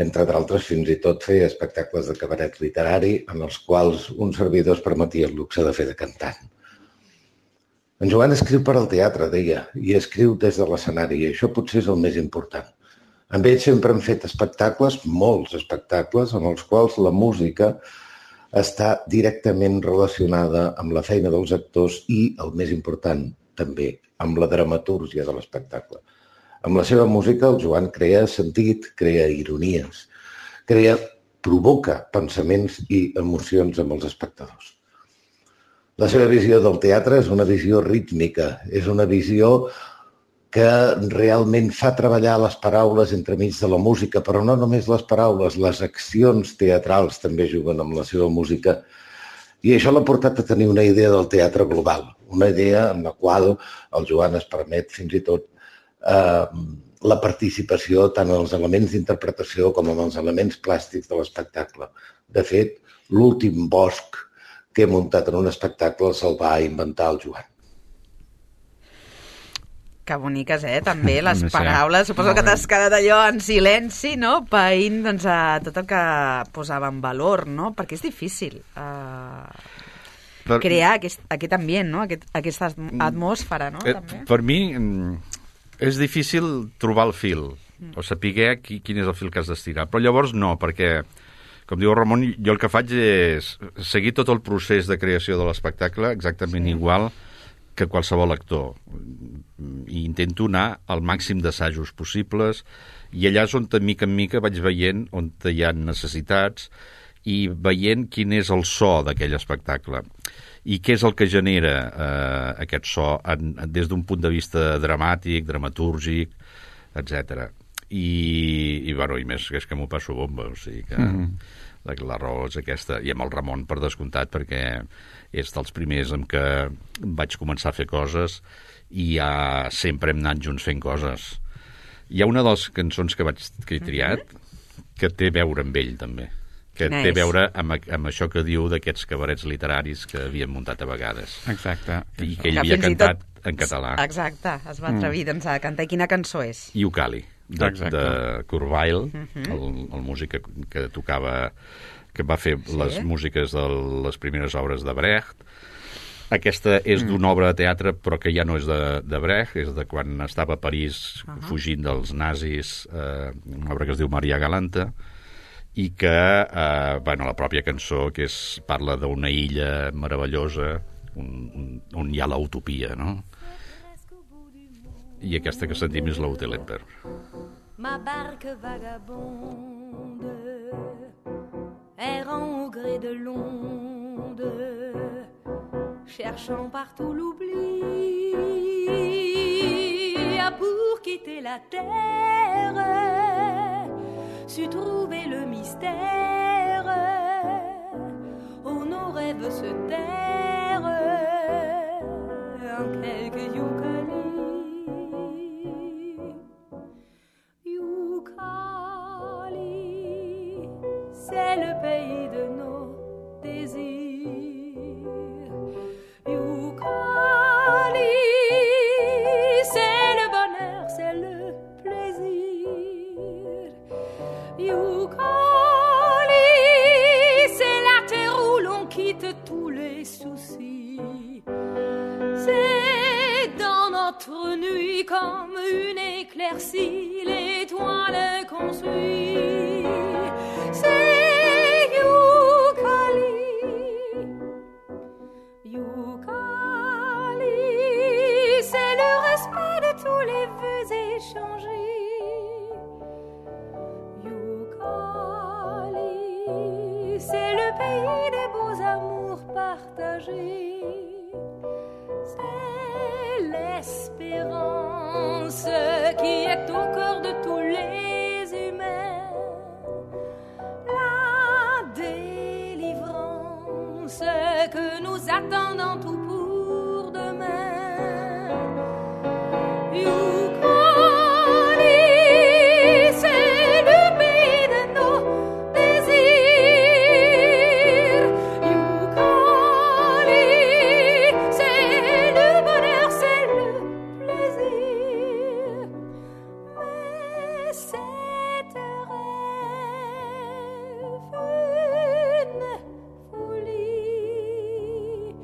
Speaker 11: entre d'altres fins i tot fer espectacles de cabaret literari en els quals un servidor es permetia el luxe de fer de cantant. En Joan escriu per al teatre, deia, i escriu des de l'escenari, i això potser és el més important. Amb ell sempre hem fet espectacles, molts espectacles, en els quals la música està directament relacionada amb la feina dels actors i, el més important, també, amb la dramatúrgia de l'espectacle. Amb la seva música, el Joan crea sentit, crea ironies, provoca pensaments i emocions amb els espectadors. La seva visió del teatre és una visió rítmica, és una visió que realment fa treballar les paraules entremig de la música, però no només les paraules, les accions teatrals també juguen amb la seva música. I això l'ha portat a tenir una idea del teatre global, una idea en la qual el Joan es permet fins i tot la participació tant en els elements d'interpretació com en els elements plàstics de l'espectacle. De fet, l'últim bosc que he muntat en un espectacle se'l va inventar el Joan.
Speaker 1: Que boniques, també, les paraules. Suposo que t'has quedat allò en silenci, no?, païnt doncs, tot el que posava en valor, no?, perquè és difícil crear aquest ambient, no?, aquesta atmosfera, no?, també.
Speaker 5: Per mi és difícil trobar el fil, o saber quin és el fil que has d'estirar, però llavors no, perquè com diu el Ramon, jo el que faig és seguir tot el procés de creació de l'espectacle exactament igual que qualsevol actor. I intento anar al màxim d'assajos possibles i allà és on de mica en mica vaig veient on hi ha necessitats i veient quin és el so d'aquell espectacle i què és el que genera aquest so des d'un punt de vista dramàtic, dramatúrgic, etc. I més, és que m'ho passo bomba, o sigui que la raó és aquesta, i amb el Ramon per descomptat, perquè és dels primers amb què vaig començar a fer coses i sempre hem anat junts fent coses. Hi ha una de les cançons que he triat que té a veure amb ell també, que té a veure amb això que diu d'aquests cabarets literaris que havien muntat a vegades.
Speaker 4: Exacte.
Speaker 5: I que ell havia cantat en català.
Speaker 1: Exacte, es va atrevir a cantar. I quina cançó és?
Speaker 5: Iucali, de Kurt Weill, el músic que tocava, que va fer les músiques de les primeres obres de Brecht. Aquesta és d'una obra de teatre, però que ja no és de Brecht, és de quan estava a París fugint dels nazis, una obra que es diu Maria Galanta, i que, la pròpia cançó, que parla d'una illa meravellosa on hi ha l'utopia, no? I aquesta que sentim és l'Autelender.
Speaker 2: Ma barque vagabonde, errant au gré de l'onde, cherchant partout l'oubli, a pour quitter la terre, su trouver le mystère, où nos rêves se tairent, en quelques yucalis. C'est le pays de nos désirs. Yukali, c'est le bonheur, c'est le plaisir. Yukali, notre nuit comme une éclaircie, l'étoile qu'on suit, c'est Youkali. Youkali, c'est le respect de tous les vœux échangés. Youkali, c'est le pays des beaux amours partagés. C'est l'espérance qui est au cœur de tous les humains. La délivrance que nous attendons tout pour demain. Youkali, c'est le pays de nos désirs. Youkali, c'est le bonheur, c'est le plaisir. Mais c'est un rêve, une folie.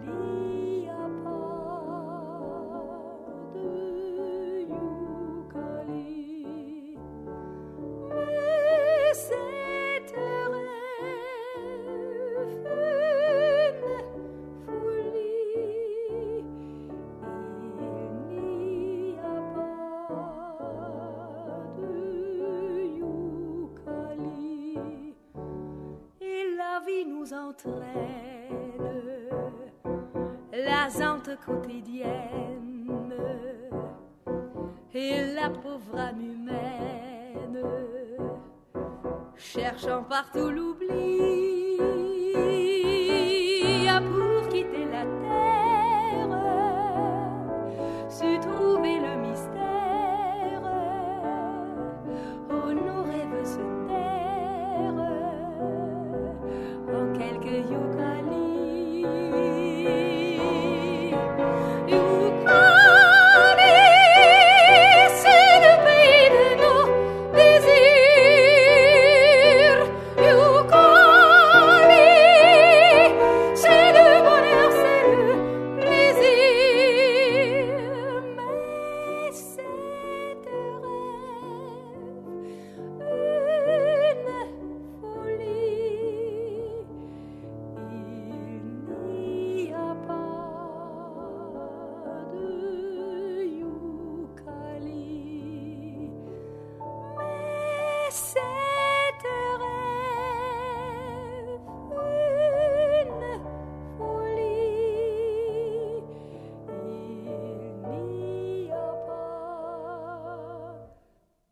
Speaker 2: Il n'y a pas de Youkali. Mais c'est un rêve, une folie. Il n'y a pas de Youkali. Et la vie nous entraîne, la zante quotidienne et la pauvre âme humaine, cherchant partout l'oubli, pour quitter la terre, su trouver le mystère, où nos rêves se tairent en quelques Youkali. Youkali, c'est le pays de nos désirs. Youkali, c'est le bonheur, c'est le plaisir. Mais c'est un rêve, une folie. Il n'y a pas de Youkali. Mais c'est un rêve, une folie. Il n'y a pas de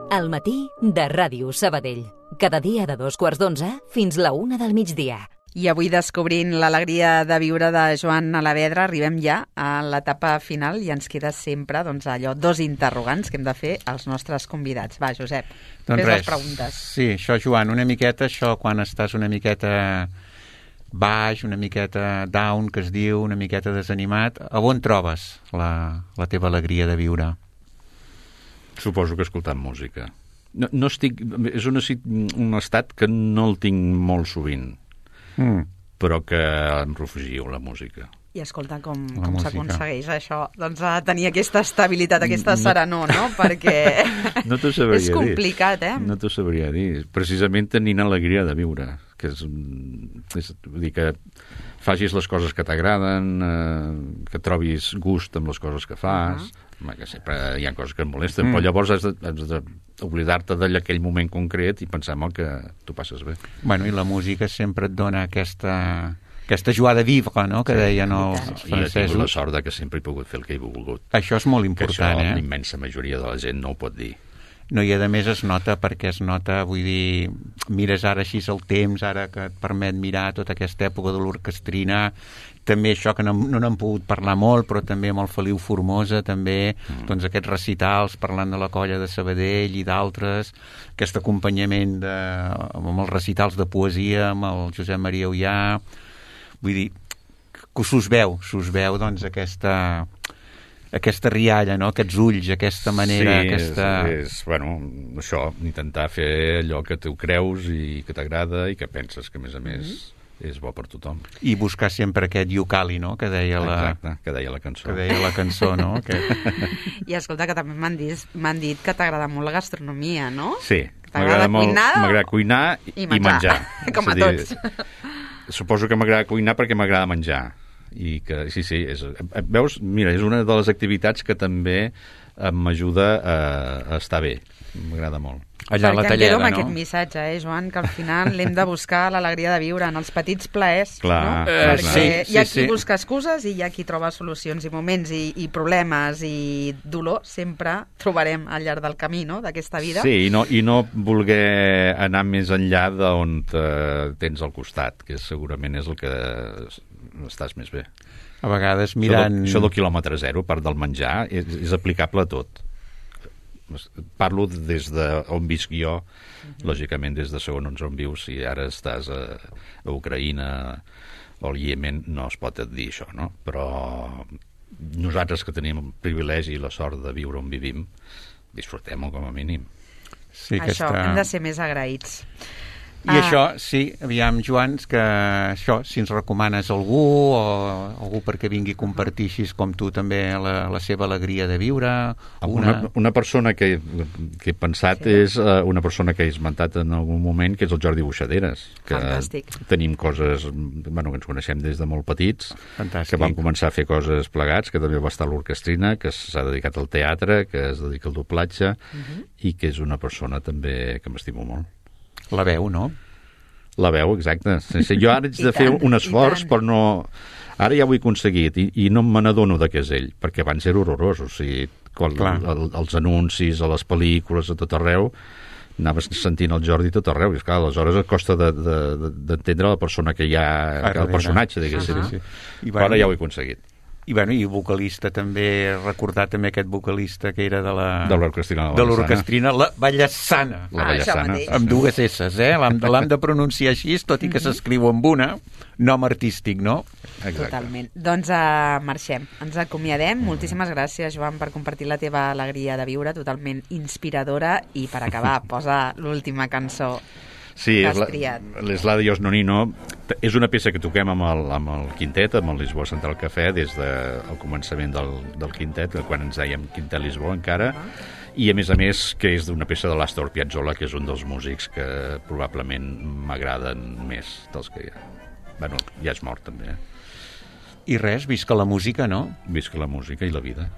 Speaker 12: Al matí de Ràdio Sabadell. Cada dia de 2:15 fins la 1 del migdia.
Speaker 1: I avui, descobrint l'alegria de viure de Joan Alavedra, arribem ja a l'etapa final i ens queda sempre allò, dos interrogants que hem de fer als nostres convidats. Va, Josep,
Speaker 4: Doncs
Speaker 1: fes
Speaker 4: res,
Speaker 1: les preguntes.
Speaker 4: Sí, això, Joan, una miqueta això quan estàs una miqueta baix, una miqueta down, que es diu, una miqueta desanimat, a on trobes la teva alegria de viure?
Speaker 5: Suposo que escoltant música. No estic... És un estat que no el tinc molt sovint, però que em refugio a la música.
Speaker 1: I escolta, com s'aconsegueix això? Doncs a tenir aquesta estabilitat, aquesta serenor, no? Perquè
Speaker 5: no t'ho sabria
Speaker 1: és complicat,
Speaker 5: dir. No t'ho sabria dir. Precisament tenint alegria de viure, que és vull dir que facis les coses que t'agraden, que trobis gust amb les coses que fas, que sempre hi ha coses que et molesten, però llavors has d'oblidar-te d'aquell moment concret i pensar que tu passes bé.
Speaker 4: Bueno, i la música sempre et dona aquesta joie de vivre, no?, que deien els francesos.
Speaker 5: I he tingut la sort que sempre he pogut fer el que he volgut.
Speaker 4: Això és molt important,
Speaker 5: que això la immensa majoria de la gent no ho pot dir.
Speaker 4: No, i a més es nota, vull dir, mires ara així el temps, ara que et permet mirar tota aquesta època de l'orquestrina, també això que no n'hem pogut parlar molt, però també amb el Feliu Formosa, també, doncs aquests recitals parlant de la colla de Sabadell i d'altres, aquest acompanyament amb els recitals de poesia, amb el Josep Maria Ullà, vull dir, que s'us veu doncs aquesta rialla, no?, aquests ulls, aquesta manera...
Speaker 5: Sí, bueno, això, intentar fer allò que tu creus i que t'agrada i que penses que, a més, és bo per tothom.
Speaker 4: I buscar sempre aquest iucali, no?, que deia
Speaker 5: Exacte, que deia la cançó.
Speaker 4: Que deia la cançó, no?
Speaker 1: I escolta, que també m'han dit que t'agrada molt la gastronomia, no?
Speaker 5: Sí, m'agrada cuinar i menjar.
Speaker 1: Com a tots.
Speaker 5: Suposo que m'agrada cuinar perquè m'agrada menjar. I que, sí, veus? Mira, és una de les activitats que també m'ajuda a estar bé. M'agrada molt.
Speaker 4: Allà a la Talleda,
Speaker 1: no? Amb aquest missatge, Joan, que al final l'hem de buscar l'alegria de viure en els petits plaers.
Speaker 5: Clar,
Speaker 1: no? Perquè hi ha qui busca excuses i hi ha qui troba solucions i moments i problemes i dolor sempre trobarem al llarg del camí, no?, d'aquesta vida.
Speaker 5: Sí, i no voler anar més enllà d'on tens al costat, que segurament és el que estàs més bé.
Speaker 4: A vegades mirant...
Speaker 5: Això del quilòmetre zero, a part del menjar, és aplicable a tot. Parlo des d'on visc jo, lògicament des de segons on vius. Si ara estàs a Ucraïna o al Iemen, no es pot dir això, no? Però nosaltres que tenim el privilegi i la sort de viure on vivim, disfrutem-ho com a mínim.
Speaker 4: Sí,
Speaker 1: això, hem de ser més agraïts.
Speaker 4: I això, sí, aviam, Joan, que això, si ens recomanes algú o algú perquè vingui a compartir així com tu també la seva alegria de viure...
Speaker 5: Una persona que he pensat és una persona que he esmentat en algun moment, que és el Jordi Buixaderes. Que
Speaker 1: fantàstic.
Speaker 5: Tenim coses, bueno, que ens coneixem des de molt petits,
Speaker 4: fantàstic.
Speaker 5: Que vam començar a fer coses plegats, que també va estar a l'orquestrina, que s'ha dedicat al teatre, que es dedica al doblatge, i que és una persona també que m'estimo molt.
Speaker 4: La veu, no?
Speaker 5: La veu, exacte. Jo ara haig de fer un esforç, però no... Ara ja ho he aconseguit i no me n'adono de què és ell, perquè abans era horrorós. O sigui, els anuncis, a les pel·lícules, a tot arreu, anaves sentint el Jordi tot arreu. I esclar, aleshores et costa d'entendre la persona que hi ha, el personatge, diguéssim.
Speaker 4: Sí.
Speaker 5: Però ara ja ho he aconseguit.
Speaker 4: I vocalista també, recordar també aquest vocalista que era de
Speaker 5: l'orquestrina
Speaker 4: la Vallassana.
Speaker 5: La Vallassana.
Speaker 4: Amb dues esses, l'hem de pronunciar així, tot i que s'escriu amb una, nom artístic, no?
Speaker 5: Exacte.
Speaker 1: Totalment. Doncs marxem, ens acomiadem. Moltíssimes gràcies, Joan, per compartir la teva alegria de viure, totalment inspiradora, i per acabar, posa l'última cançó.
Speaker 5: Sí, és l'Adiós Nonino. És una peça que toquem amb el quintet, amb el Lisboa Central Cafè, des del començament del quintet, quan ens dèiem Quintet Lisboa encara, i a més que és una peça de l'Astor Piazzolla, que és un dels músics que probablement m'agraden més dels que hi ha. Bueno, ja és mort també.
Speaker 4: I res, visca la música, no?
Speaker 5: Visca la música i la vida.